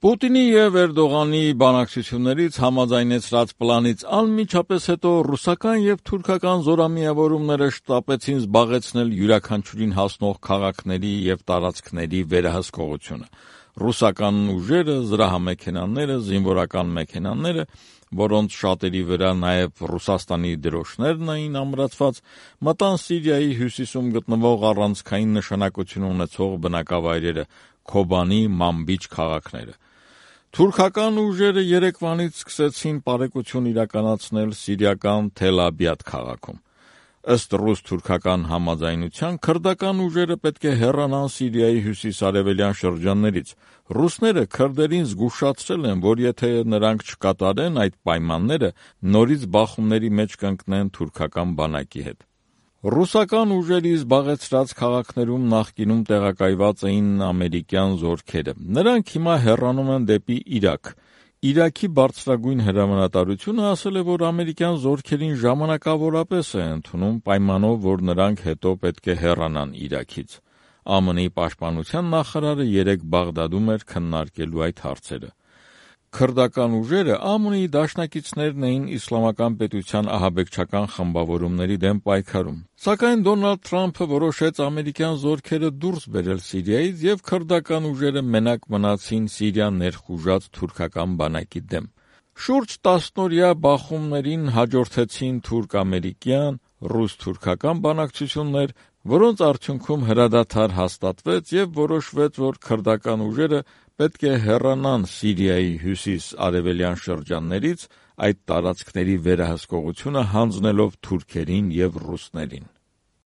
Պուտինի և Էրդողանի բանակցություններից համաձայնեցրած պլանից անմիջապես հետո ռուսական և թուրքական զորամիավորումները շտապեցին զբաղեցնել յուրաքանչյուրին հասնող քաղաքների և տարածքների վերահսկողությունը։ Ռուսական ուժերը, զրահամեքենաները, զինվորական մեքենաները, որոնց շատերի վրա նաև Ռուսաստանի դրոշներն էին ամրացված, մտան Սիրիայի հյուսիսում գտնվող առանցքային նշանակություն ունեցող բնակավայրերը՝ Քոբանի, Մանբիջ քաղաքները։ Թուրքական ուժերը երեկվանից սկսեցին պարեկություն իրականացնել սիրիական Թել Աբիադ քաղաքում։ Ըստ ռուս-թուրքական համաձայնության, քրդական ուժերը պետք է հեռանան Սիրիայի հյուսիս-արևելյան շրջաններից։ Ռուսները քրդերին զգուշացրել են, որ եթե նրանք չկատարեն այդ պայմանները, նորից բախումների մեջ կընկնեն թուրքական բանակի հետ։ Ռուսական ուժերի զբաղեցրած քաղաքներում նախկինում տեղակայված էին ամերիկյան զորքերը։ Նրանք հիմա հեռանում են դեպի Իրաք։ Իրաքի բարձրագույն հրամանատարությունը ասել է, որ ամերիկյան զորքերին ժամանակավորապես է ընդունում, պայմանով, որ նրանք հետո պետք է հեռանան Իրաքից։ ԱՄՆ-ի պաշտպանության նախարարը երեկ Բաղդադում էր քննարկելու այդ հարցերը։ Քրդական ուժերը ԱՄՆ-ի դաշնակիցներն էին իսլամական պետության ահաբեկչական խմբավորումների դեմ պայքարում։ Սակայն Դոնալդ Թրամփը որոշեց ամերիկյան զորքերը դուրս բերել Սիրիայից, և քրդական ուժերը մենակ մնացին Սիրիա ներխուժած թուրքական բանակի դեմ։ Շուրջ 10-օրյա բախումներին հաջորդեցին թուրք-ամերիկյան, ռուս-թուրքական բանակցություններ, որոնց արդյունքում հրադադար հաստատվեց և որոշվեց, որ քրդական ուժերը պետք է հեռանան Սիրիայի հյուսիս-արևելյան շրջաններից, այդ տարածքների վերահսկողությունը հանձնելով թուրքերին և ռուսներին։